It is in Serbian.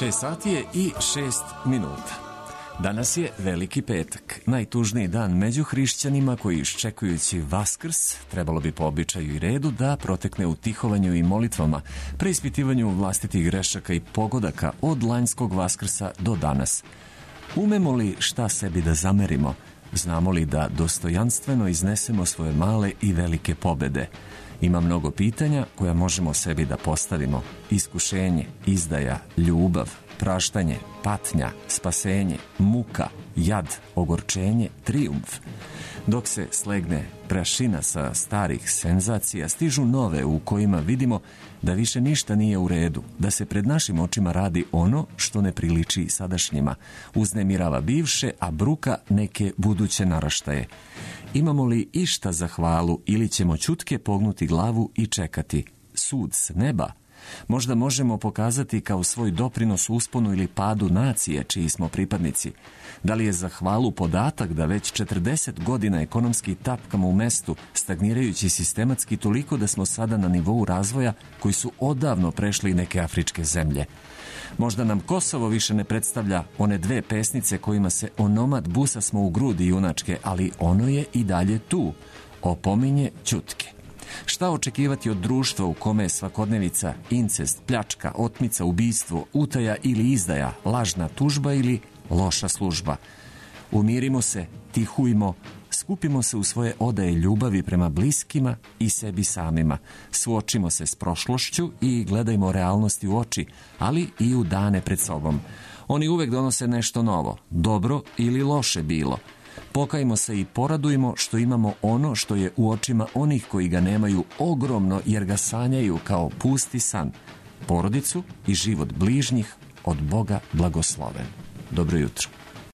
6 sati je i 6 minuta. Danas je Veliki petak, najtužniji dan među hrišćanima koji iščekujući Vaskrs, trebalo bi po običaju i redu da protekne u tihovanju i molitvama, preispitivanju vlastitih grešaka i pogodaka od lanjskog Vaskrsa do danas. Umemo li šta sebi da zamerimo? Znamo li da dostojanstveno iznesemo svoje male i velike pobede? Ima mnogo pitanja koja možemo sebi da postavimo. Iskušenje, izdaja, ljubav, praštanje, patnja, spasenje, muka, jad, ogorčenje, trijumf. Dok se slegne prašina sa starih senzacija, stižu nove u kojima vidimo da više ništa nije u redu, da se pred našim očima radi ono što ne priliči sadašnjima, uznemirava bivše, a bruka neke buduće naraštaje. Imamo li išta za hvalu ili ćemo ćutke pognuti glavu i čekati sud s neba? Možda možemo pokazati kao svoj doprinos usponu ili padu nacije čiji smo pripadnici. Da li je za hvalu podatak da već 40 godina ekonomski tapkamo u mestu, stagnirajući sistematski toliko da smo sada na nivou razvoja koji su odavno prešli neke afričke zemlje? Možda nam Kosovo više ne predstavlja one dve pesnice kojima se onomad busa smo u grudi junačke, ali ono je i dalje tu, opominje ćutke. Šta očekivati od društva u kome je svakodnevica, incest, pljačka, otmica, ubistvo, utaja ili izdaja, lažna tužba ili loša služba? Umirimo se, tihujmo, skupimo se u svoje odaje ljubavi prema bliskima i sebi samima. Suočimo se s prošlošću i gledajmo realnosti u oči, ali i u dane pred sobom. Oni uvek donose nešto novo, dobro ili loše bilo. Pokajmo se i poradujmo što imamo ono što je u očima onih koji ga nemaju ogromno jer ga sanjaju kao pusti san. Porodicu i život bližnjih od Boga blagosloven. Dobro jutro.